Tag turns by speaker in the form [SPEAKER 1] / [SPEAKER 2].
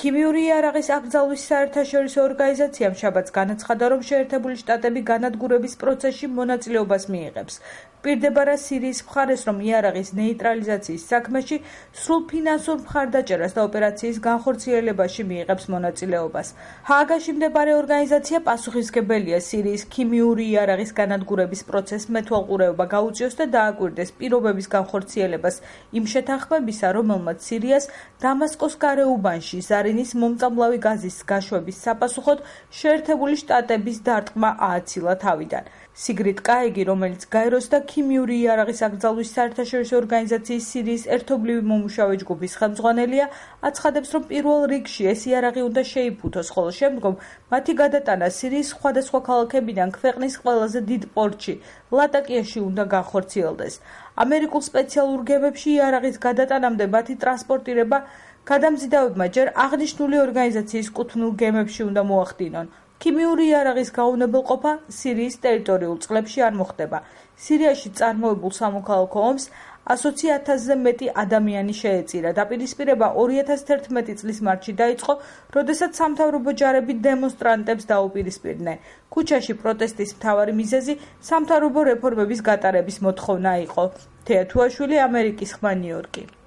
[SPEAKER 1] ქიმიური იარაღის აკრძალვის საერთაშორისო ორგანიზაციამ შაბათს განაცხადა, რომ შეერთებული შტატები განადგურების პროცესში მონაწილეობას მიიღებს. პირდება რა სირიის მხარეს, რომ იარაღის ნეიტრალიზაციის საქმეში სრულ ფინანსურ მხარდაჭერას და ოპერაციის განხორციელებაში მიიღებს მონაწილეობას. ჰააგაში მდებარე ორგანიზაცია პასუხისმგებელია სირიის ქიმიური იარაღის განადგურების პროცესს მეთვალყურეობა გაუწიოს და დააკვირდეს პირობების განხორციელებას იმ შეთანხმებისა, რომელმაც სირიას დამასკოს გარეუბანში ზარინის მომწამლავი გაზის გაშვების საპასუხოდ შეერთებული შტატების დარტყმა ააცილა თავიდან. სიგრიდ კაიგი, რომელიც გაეროს და ქიმიური იარაღის აკრძალვის საერთაშორისო ორგანიზაციის სირიის ერთობლივი მომუშავე ჯგუფის ხელმძღვანელია, აცხადებს, რომ პირველ რიგში ეს იარაღი უნდა შეიფუთოს, ხოლო შემდგომ მათი გადატანა სირიის სხვადასხვა ქალაქებიდან ქვეყნის ყველაზე დიდ პორტში, ლატაკიაში უნდა განხორციელდეს. ამერიკულ სპეციალურ გემებში იარაღის გადატანამდე მათი ტრანსპორტირება გადამზიდავებმა ჯერ აღნიშნული ორგანიზაციის კუთვნილ გემებში უნდა მოახდინონ. ქიმიური იარაღის გაუნებელყოფა სირიის ტერიტორიულ წყლებში არ მოხდება. სირიაში წარმოებულ სამოქალაქო ომს 120,000-ზე მეტი ადამიანი შეეწირა. დაპირისპირება 2011 წლის მარტში დაიწყო, როდესაც სამთავრობო ჯარები დემონსტრანტებს დაუპირისპირდნენ. ქუჩაში პროტესტის მთავარი მიზეზი სამთავრობო რეფორმების გატარების მოთხოვნა იყო. თეა თუაშვილი, ამერიკის ხმა, ნიუ-იორკი.